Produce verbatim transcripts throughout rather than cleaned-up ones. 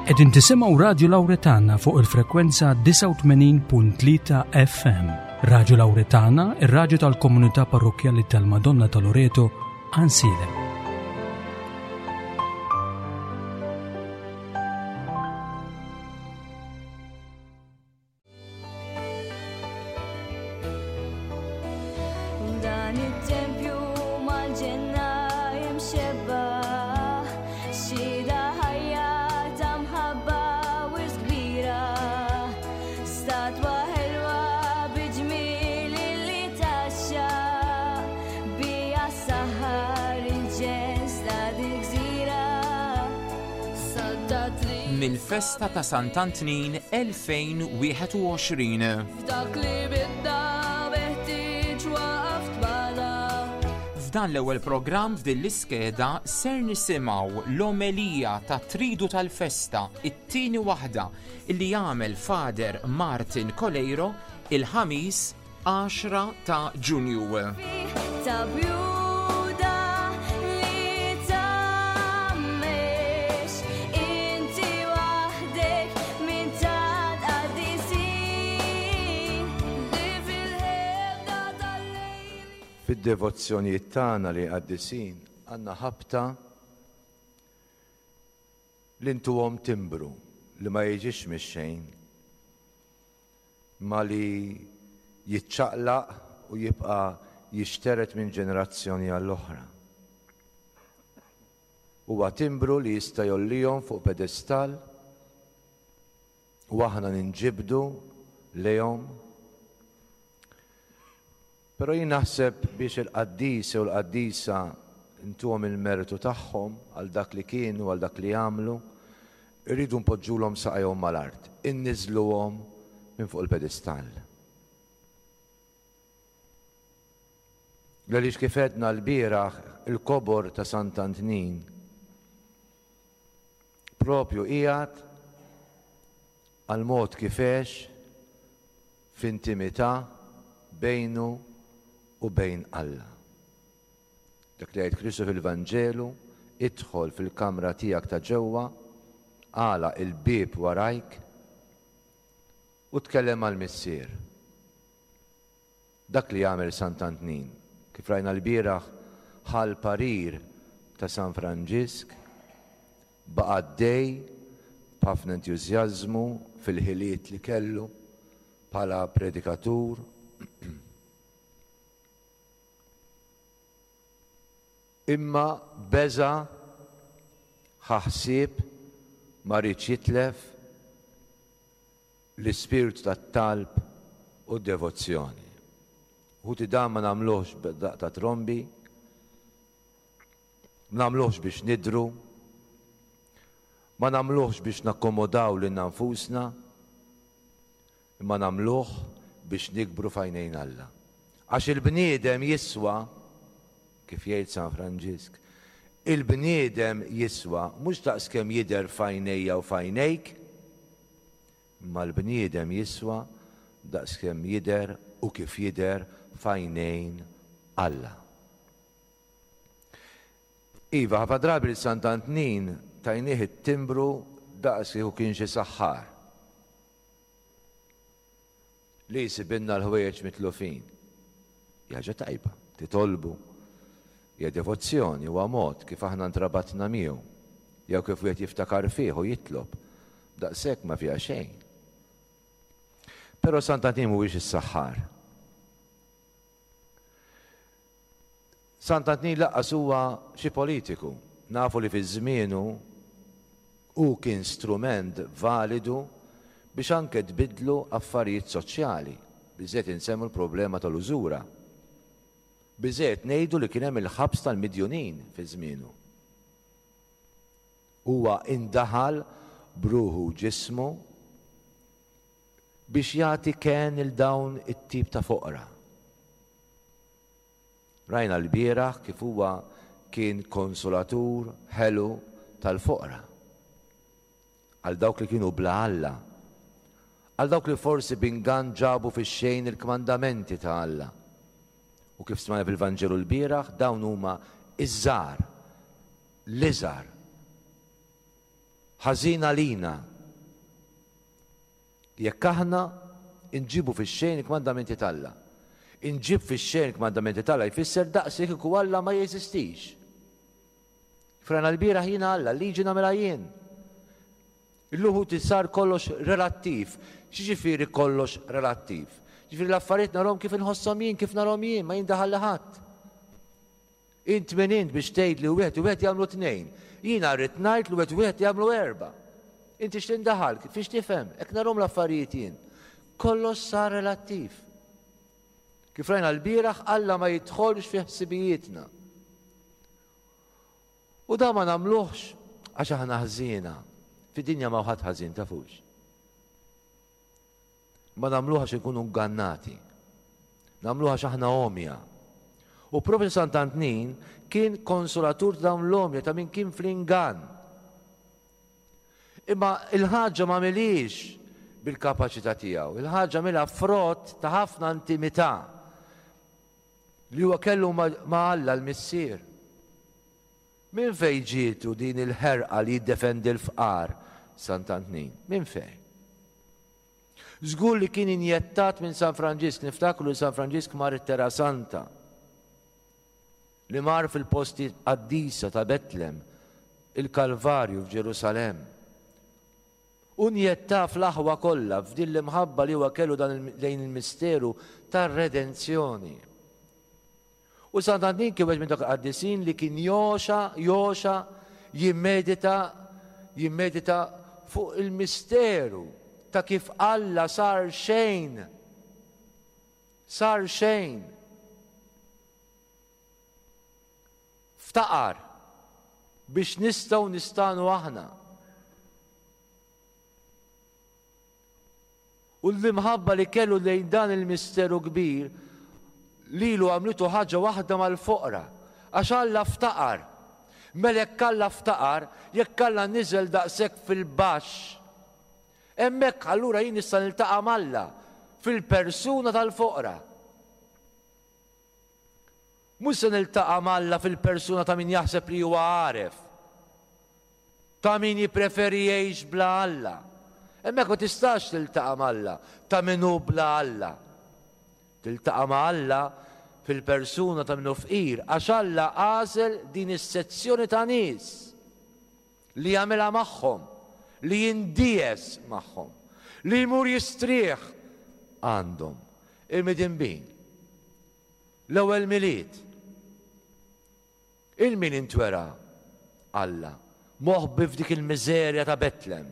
Qegħdin tisimgħu Radju Lawretana fuq il-frekwenza disgħa u tmenin punt tlieta F M. Radju Lawretana, ir-radju tal-komunità parrokkjali tal-Madonna ta' Loreto, Għajnsielem. Dan it-tempju mal-ġenna jimxebba, xhieda ħajja ta' mħabba wisq kbira, statwa ħelwa bi ġmiel li taxxa, bija saħar il-ġens ta' dil-gżira. Mill-festa ta' Sant'Antnin elfejn wieħed u għoxrin. F'dak li bidda meħtieġ waqaf tbala. F'dan l-ewwel programm f'din l-iskeda ser nisimgħu l-omelija ta' Tridu tal-Festa, it-tieni waħda illi jagħmel Father Martin Coleiro il-Ħamis għaxra ta' Ġunju. Ta' bjuda li tgħammex, inti waħdek minn tant qaddisin li fil-ħebda tal-lejl. Fid-devozzjonijiet tagħna li qaddisin għandna ħabta li ntuhom timbru li ma jiġix mix-xejn, ma li jiċċaqlaq u jibqa' jixteret minn ġenerazzjoni għall-oħra. Huwa timbru li jista' jgħollihom fuq pedestal u aħna ninġibdu lejhom. Però jien naħseb biex il-qaddis u l-qaddisa ntuhom il-mertu tagħhom għal dak li kienu, għal dak li għamlu, irridu npoġġulhom saqajhom mal-art, inniżluhom minn fuq il-pedestall. Għaliex kif għedna l-bieraħ, il-kobor ta' Sant'Antnin propju qiegħed għal mod kif għex f'intimità bejnu u bejn Alla. Dak li jgħid Kristu fil-Vanġelu, idħol fil-kamra tiegħek ta' ġewwa, għala il-bieb warajk u tkellem mal-Missier. Dak li jagħmel Sant'Antnin, kif rajna l-bieraħ, ħal parir ta' San Franġisk, baqa' għaddej b'ħafna entużjażmu fil-ħiliet li kellu bħala predikatur. Imma beża' ħa ħsieb ma riedx jitlef l-ispirtu tat-talb u d-devozzjoni. Ħuti dan ma nagħmluhx b'daqq ta' trombi, ma nagħmluhx biex nidru, ma nagħmluhx biex nakkomodaw lilna nfusna, imma nagħmluh biex nikbru f'għajnejn Alla. Għax il-bniedem jiswa, kif jgħid San Franġisk, il-bniedem jiswa mhux daqskemm jidher f'għajnejja u f'għajnejk, imma l-bniedem jiswa daqskemm jidher u kif jidher f'għajnejn Alla. Iva, ħafna drabi lil Sant'Antnin tajnieh it-timbru daqs kieku kien xi saħħar li jsibilna l-ħwejjeġ mitlufin. Hija ħaġa tajba, titolbu. Hija devozzjoni, huwa mod kif aħna ntrabatna miegħu, jew kif wieħed jiftakar fih u jitlob. Daqshekk ma fiha xejn. Però Sant'Antnin mhuwiex is-saħħar. Sant'Antnin lanqas huwa xi politiku. Nafu li fi żmienu hu kien strument validu biex anke tbidlu affarijiet soċjali. Biżżejjed insemmu l-problema tal-użura. Biżżejjed ngħidu li kien hemm il-ħabs tal-midjunin fi żmienu. Huwa indaħal bruħu ġismu biex jagħti ken il dawn it-tip ta' foqra. Rajna l-bieraħ kif huwa kien konsolatur ħelu tal-foqra. Għal dawk li kienu bla Alla. Għal dawk li forsi b'ingann ġabu fix-xejn il-kmandamenti ta' Alla. U kif smajna fil-Vanġelu l-bieraħ, dawn huma iż-żgħar, l-iżgħar. Ħażin għalina jekk aħna nġibu fix-xejn il-kmandamenti t'Alla. Inġib fix-xejn il-kmandamenti t'Alla jfisser daqs kieku Alla ma jeżistix. Frana l-bieraħ jiena Alla, liġi nagħmilha jien. Illum sar kollox relattiv. X'jiġifieri kollox relattiv? Ġifieri l-affarijiet narhom kif inħosshom jien, kif narhom jien, ma jindaħal ħadd. Int min int biex tgħid li wieħed u wieħed jagħmlu tnejn. Jiena rrid ngħid li wieħed u wieħed jagħmlu erba'. Inti x'tindaħal, fiex tifhem, hekk narhom l-affarijiet jien. Kollox sar relattiv. Kif rajna l-bieraħ, Alla ma jidħolx fi ħsibijietna. U da ma nagħmluhx għax aħna ħżiena. Fid-dinja ma ħadd ħażin tafux. Ma nagħmluh għax inkunu ngannati. Nagħmluh għax aħna għomja. U propju Sant'Antnin kien konsolatur ta' dawn l-għomja ta' min kien fl-ingann. Imma il-ħaġa ma għamilhiex bil-kapaċità tiegħu, il-ħaġa għamilha frott ta' ħafna intimità li huwa kellu ma' Alla l-Missier. Min fejn ġietu din il-ħerqa li jiddefendi l-fqar Sant'Antnin? Min fejn? Żgur li kien injettat minn San Franġisk, niftakru li San Franġisk mar it-Terra Santa, li mar fil-posti qaddisa ta' Betlem, il-Kalvarju f'Ġerusalemm. U njetta fl-aħwa kollha f'din l-imħabba li huwa kellu dan lejn il-misteru tar-redenzjoni. U Sant'Antnin kien wieħed minn dak il-qaddisin li kien joxa, joxa, jimmedita, jimmedita fuq il-misteru ta' kif Alla sar xejn. Sar xejn. Ftaqar biex nistgħu nistanu aħna. U l-imħabba li kellu lejn dan il-misteru kbir lilu għamlitu ħaġa waħda mal-foqra, għax Alla ftaqar. Mela jekk Alla ftaqar, jekk Alla niżel daqshekk fil-baxx, hemmhekk allura jien nista' niltaqa' m'Alla fil-persuna tal-foqra. Mhux se niltaqa' m'Alla fil-persuna ta' min jaħseb li huwa għaref, ta' min jippreferi jgħix bla Alla. Hemmhekk ma tistax tiltaqa' m'Alla ta' min hu bla Alla. Tiltaqa' ma' Alla fil-persuna ta' min hu fqir, għax Alla għażel din is-sezzjoni ta' nies li jagħmilha magħhom, li jindies magħhom, li jmur jistrieħ għandhom. Il-midinbin. L-ewwel Milied. Il-min intwera Alla moħbi f'dik il-miżerja ta' Betlem.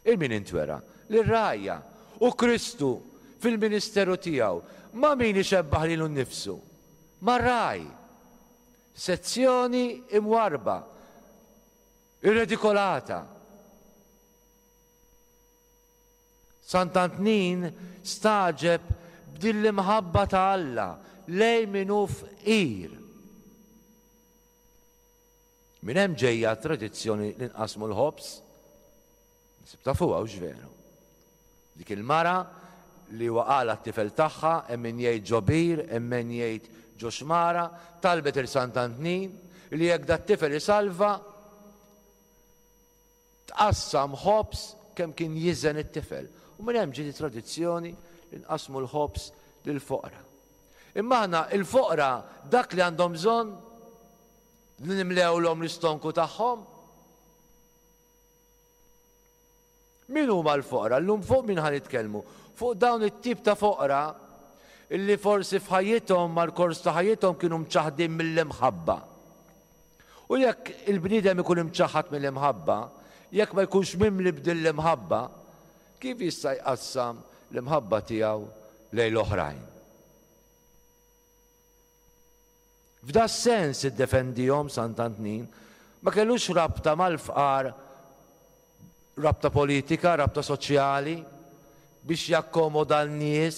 Il-min intwera lir-rgħajja u Kristu fil-ministeru tiegħu ma' min ixebbaħ lilu nnifsu? Mar-ragħaj. Sezzjoni imwarba, irredikolata. Sant'Antnin staġeb b'din l-imħabba ta' Alla lejn min hu fqir. Minn hemm ġejja t-tradizzjoni li nqasmu l-ħobż. Nisib tafuha hux veru. Dik il-mara li waqala t-tifel tagħha, hemm min jgħid ġo bir, hemm min jgħid ġo xmara, talbet il Sant'Antnin li jekk dat-tifel isalva tqassam ħobż kemm kien jiżen it-tifel. U minn hemm ġiet it-tradizzjoni li nqasmu l-ħobż lill-foqra. Imma aħna il-foqra dak li għandhom bżonn li nimlewlhom l-istonku tagħhom. Min huma l-foqra? Llum fuq min ħa nitkellmu? Fuq dawn it-tip ta' foqra illi forsi f'ħajjithom mal-kors ta' ħajjithom kienu mċaħħdin mill-imħabba. U jekk il-bniedem ikun imċaħħad mill-imħabba, jekk ma jkunx mimli b'din l-imħabba, kif jista' jqassam l-imħabba tiegħu lejn l-oħrajn? F'da sens iddefendihom Sant'Antnin, ma kellux rabta mal-fqar, rabta politika, rabta soċjali, biex jakkomoda l-nies.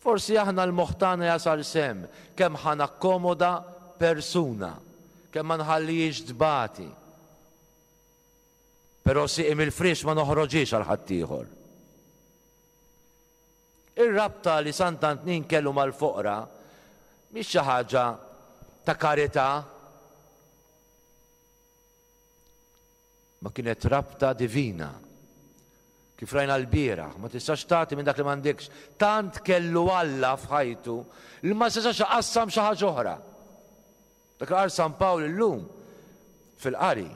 Forsi aħna l-moħħ tagħna jasal sehem kemm ħa nakkomoda persuna, kemm ma nħallihiex tbati. Però sieqi mill-friex ma noħroġhiex għal ħaddieħor. Ir-rabta li Sant'Antnin kellu mal-foqra mhix xi ħaġa ta' karità. Ma kienet rabta divina. Kif rajna l-bieraħ, ma tistax tagħti minn dak li m'għandekx. Tant kellu Alla f'ħajtu li ma setax iqassam xi ħaġa oħra. Dak qal San Pawl illum fil-qari.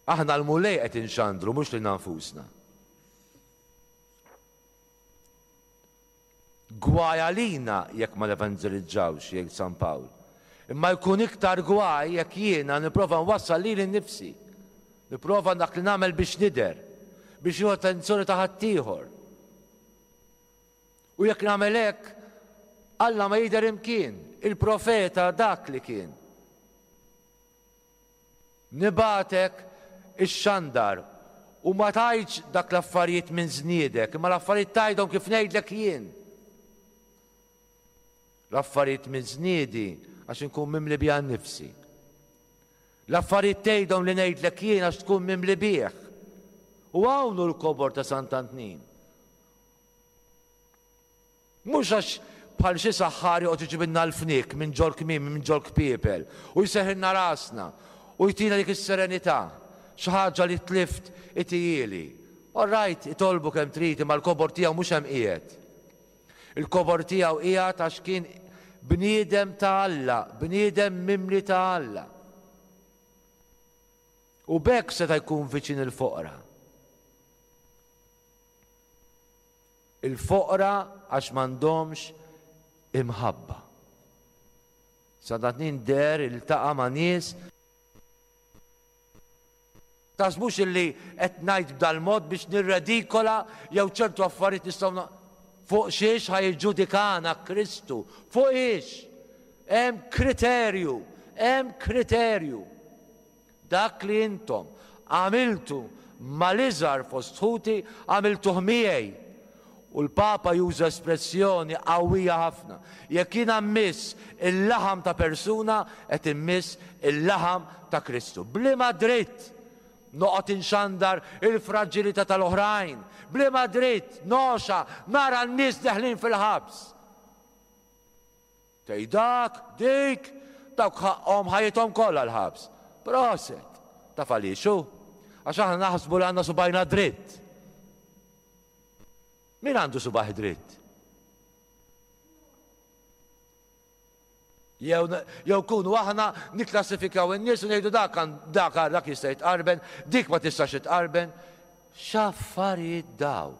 Aħna l-Mulej qed inxandru mhux lilna nfusna. Gwaj għalina jekk ma nevanġelizzawx, jgħid San Pawl. Imma jkun iktar gwaj jekk jiena nipprova nwassal lili nnifsi. Nipprova dak li nagħmel biex nidher, biex nieħu attenzjoni ta' ħaddieħor. U jekk nagħmel hekk, Alla ma jidher imkien, il-profeta dak li kien. Nibatek ix-xandar u ma tgħidx dak l-affarijiet minn żniedek, imma l-affarijiet tgħidhom kif ngħidlek jien. L-affarijiet minn żniedi għax inkun mimli biha nnifsi. L-affarijiet tgħidhom li ngħidlek jien għax tkun mimli bih. U hawn hu l-kobor ta' Sant'Antnin. Mhux għax bħal xi saħħar joqgħod iġibilna l-fniek minn ġol kmiem, minn ġol kpiepel, u jseħħilna rasna u jtina dik is-serenità, xi ħaġa li tlift itijieli. All right, itolbu kemm trid, imma l-kobor tiegħu mhux hemm qiegħed. Il-kobor tiegħu qiegħed għax kien bniedem ta' Alla, bniedem mimli ta' Alla. U b'hekk seta' jkun viċin il-foqra. Il-foqra għax m'għandhomx imħabba. Sant'Antnin deher iltaqa' ma' nies. Taħsbux illi qed ngħid b'dal-mod biex nirredikola jew ċertu affarijiet nistgħu na-, fuq xiex ħa jiġġudikana Kristu? Fuq ix? Hemm kriterju, hemm kriterju. Dak li intom għamiltu mal-iżgħar fost ħuti għamiltuh miegħi. U l-Papa juża espressjoni qawwija ħafna. Jekk jiena mmiss il-laħam ta' persuna, qed immiss il-laħam ta' Kristu. B'liema dritt noqgħod inxandar il-fraġilità tal-oħrajn? B'liema dritt noxa nara n-nies deħlin fil-ħabs? Tgħid dak, dik, dawk ħaqhom ħajjithom kollha l-ħabs. Proset, taf għaliex hu? Għax aħna naħsbu li għandna subajna dritt. Min għandu subaħ dritt? Jew, jew kunu aħna nikklassifikaw in-nies u ngħidu dak għan-, dak għal dak jista' jitqarben, dik ma tistax titqarben. X'affarijiet daw?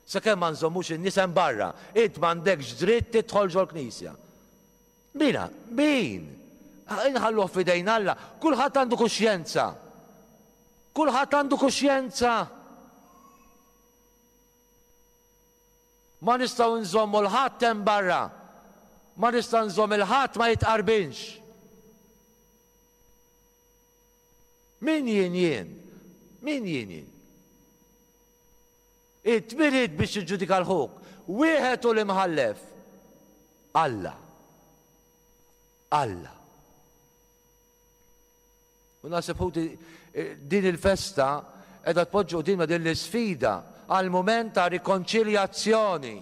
Sakemm ma nżommux in-nies hemm barra, int m'għandekx dritt tidħol ġol-knisja. Mina, min? Inħalluh f'idejn Alla. Kulħadd għandu kuxjenza. Kulħadd għandu kuxjenza. Ma nistgħu nżommu l-ħadd hemm barra. Ma nista' nżomm il-ħadd ma jitqarbinx. Min jien jien? Min jien jien? Int min int biex tiġġudika l-ħuk? Wieħed hu l-imħallef. Alla. Alla. U naħseb ħuti din il-festa qiegħda tpoġġi qudiemna din l-isfida għal mument ta' rikonċiljazzjoni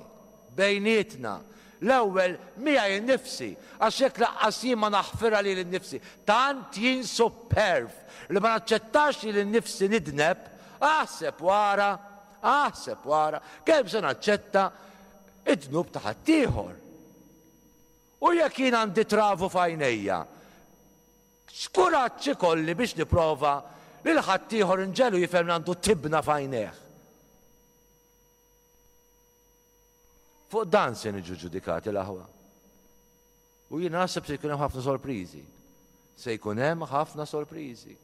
bejnietna. L-ewwel miegħi nnifsi, għax jekk laqqas jien ma naħfirha lili nnifsi, tant jien superv li ma naċċettax lili nnifsi nidneb, aħseb wara, aħseb wara, kemm se naċċetta id-dnub ta' ħaddieħor. U jekk jien għandi travu f'għajnejja, x'kuraġġ ikolli biex nipprova lil ħaddieħor inġelu jifhem li għandu tibna f'għajnejh. Fuq dan se niġu ġudikati l-aħwa. U jien naħseb se jkun hemm ħafna sorpriżi. Se jkun hemm ħafna sorpriżi.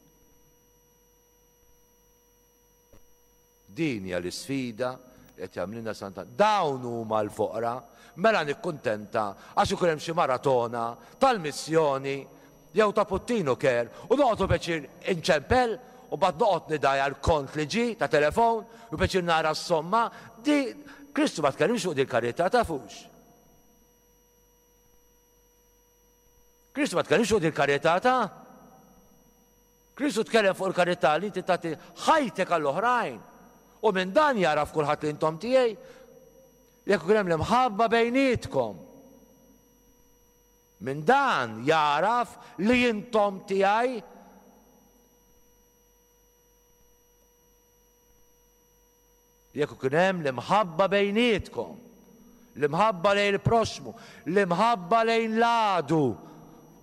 Din hija l-isfida li qed jagħmlilna Santa. Dawn huma l-foqra, mela nikkuntenta għax ikun hemm xi maratona tal-missjoni jew ta' Puttinu Care u noqgħodu peċir inċempel u bad noqgħod nidajja l-kont li ġi ta' telefon u peċir nara s-somma. Di Kristu ma tkellimx fuq din il-karità, tafux. Kristu ma tkellimx fuq din il-karità ta' Kristu tkellem fuq il-karità li inti tagħti ħajtek għall-oħrajn. U minn dan jaraf kulħadd li intom tiegħi. Jekk ikun hemm l-imħabba bejnietkom. Minn dan jaraf li intom tiegħi. Jekk ikun hemm l-imħabba bejnietkom, l-imħabba lejn il-proxmu, l-imħabba lejn l-għadu,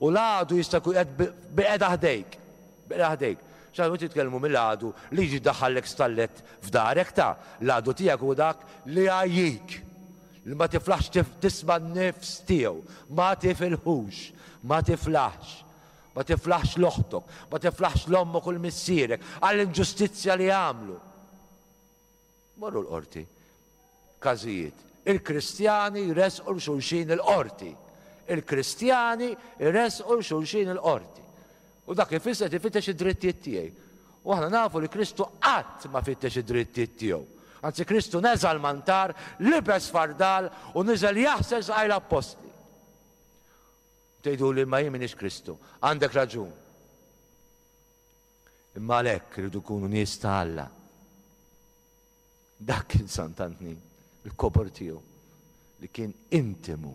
u l-għadu jista' jkun qed biqeda ħdejk, biqeda ħdejk. X'għadu titkellmu mill-għadu li jiġi daħallek stallet f'darek ta' l-għadu tiegħek u dak li għajjik, li ma tiflaħx tisma' n-nifs tiegħu, ma tifilħux, ma tiflaħx, ma tiflaħx l-oħtok, ma tiflaħx l-ommok u l-missierek għall-inġustizzja li għamlu. Morru l-qorti. Każijiet. Il-Kristjani jresqu l-xulxin il-qorti. Il-Kristjani jresqu l-xulxin il-qorti. U dak ifisser ifittex id-drittijiet tiegħi. U aħna nafu li Kristu qatt ma fittex id-drittijiet tiegħu. Anzi Kristu neżel mantar, libes fardal u niżel jaħsel saqaj l-appostli. Tgħidu li ma jien m'iniex Kristu. Għandek raġun. Imma għalhekk iridu jkunu nies ta' Alla. Dak kien Sant'Antnin, il-kobor tiegħu, li kien intimu,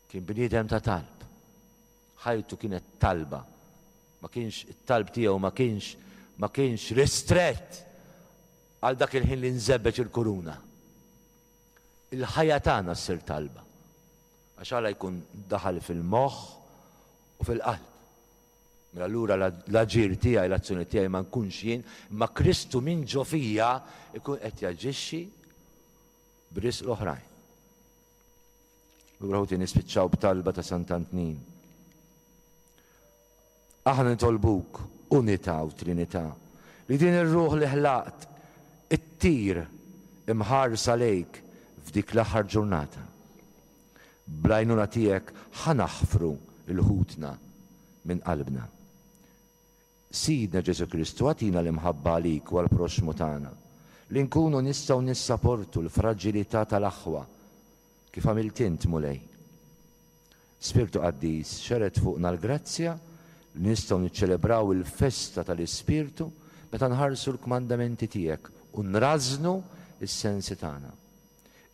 kien bniedem ta' talb. Ħajtu kienet talba, ma kienx it-talb tiegħu ma kienx ma kienx ristrett għal dak il-ħin li nżebbeġ il-kuruna. Il-ħajja tagħna ssir talba, għax Alla jkun daħal fil-moħħ u fil-qalb. Mela allura l-aġir tiegħi, l-azzjoni tiegħi ma nkunx jien, imma Kristu minn ġo fija jkun qed jaġixxi b'risq l-oħrajn. Lura ħuti nispiċċaw b'talba ta' Sant'Antnin. Aħna nitolbuk unità u Trinità, li din ir-ruħ li ħlaqt ittir imħarsa lejk f'dik l-aħħar ġurnata. Bl-għajnuna tiegħek ħa naħfru l-ħutna minn qalbna. Sidna Ġesu Kristu, għatina l-imħabba għalik u għall-proxmu tagħna, li nkunu nistgħu nissaportu l-fraġilità tal-aħwa kif għamilt int, Mulej. Spirtu Qaddis, xeret fuqna l-grazzja li nistgħu niċċelebraw il-festa tal-Ispirtu meta nħarsu l-kmandamenti tiegħek u nrażnu s-sensi tagħna.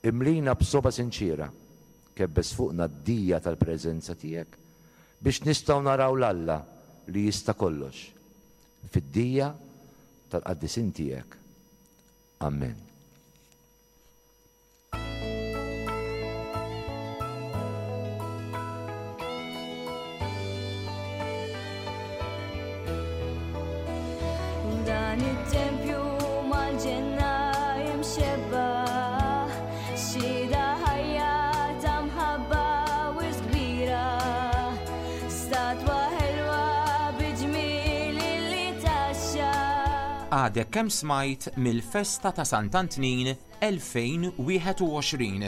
Imlina b'soba sinċira, kebbes fuqna d-dija tal-preżenza tiegħek biex nistgħu naraw l-Alla li jista' kollox fid-dija tal-qaddisin tiegħek. Amen. Dan it-tempju mal-ġenna imxebba, xhieda ħajja ta' mħabba wisq kbira, statwa ħelwa bi ġmiel li taxxa. Għadek kemm smajt mill-festa ta' Sant'Antnin elfejn wieħed u għoxrin.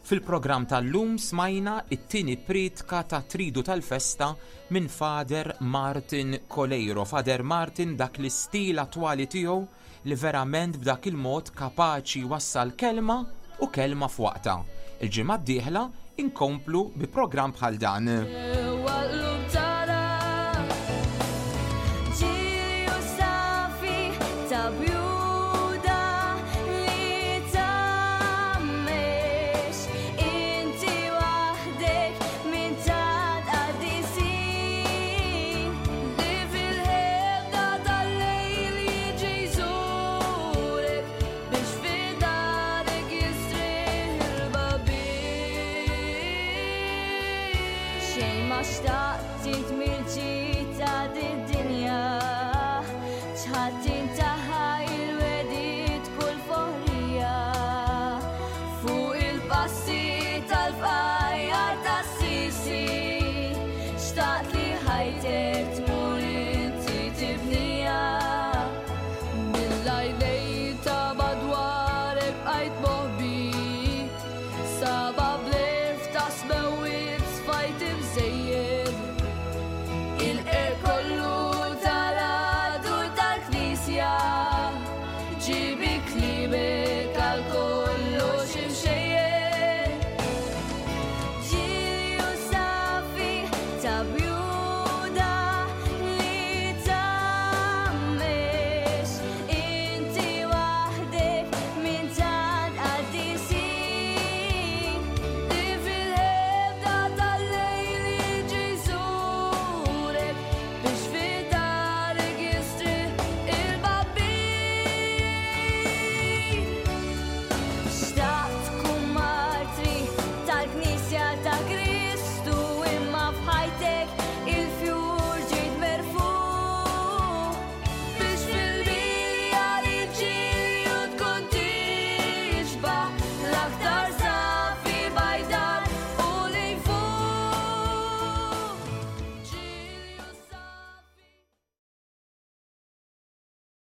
Fil-programm tal-lum smajna it-tieni priedka ta' Tridu tal-Festa minn Father Martin Coleiro. Father Martin dak l-istil attwali tiegħu li verament b'dak il-mod kapaċi wassal kelma u kelma f'waqta. Il-ġimgħa d-dieħla inkomplu bi programm bħal dan. Ġewwa l-qlub tagħna, ġilju safi ta' bjuda li tgħammex, inti waħdek minn tant qaddisin, li fil-ħebda tal-lejl jiġi jżurek biex f'darek jistrieħ il-babin. Xejn ma xtaqt int mill